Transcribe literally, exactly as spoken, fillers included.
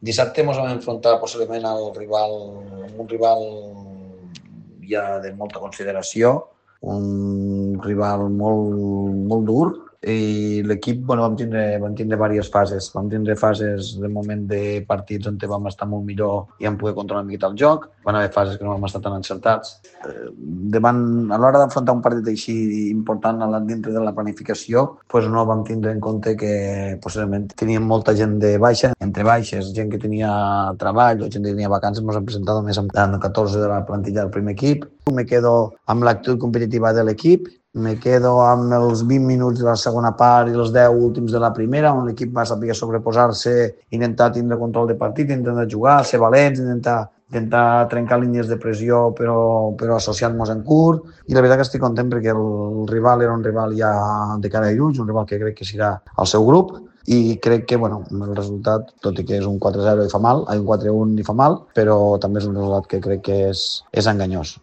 Dissabte ens vam enfrontar possiblement al rival, un rival ja de molta consideració, un rival molt, molt dur, i l'equip, bueno, vam tindre, vam tindre diverses fases. Vam tindre fases de moment de partits on vam estar molt millor i vam poder controlar una miqueta el joc. Van haver fases que no vam estar tan encertats. Eh, davant, a l'hora d'enfrontar un partit així important dintre de la planificació, pues no vam tindre en compte que possiblement teníem molta gent de baixa, entre baixes, gent que tenia treball o gent que tenia vacances. Ens hem presentat només amb catorze de la plantilla del primer equip. Me quedo amb l'actitud competitiva de l'equip, me quedo amb els vint minuts de la segona part i els deu últims de la primera, on l'equip va saber sobreposar-se, intentar tindre control de partit, intentar jugar, ser valents, intentar, intentar trencar línies de pressió però, però associant-nos en curt. I la veritat que estic content perquè el rival era un rival ja de cara i ulls, un rival que crec que serà el seu grup, i crec que bueno, el resultat, tot i que és un quatre zero i fa mal, un quatre un i fa mal, però també és un resultat que crec que és, és enganyós.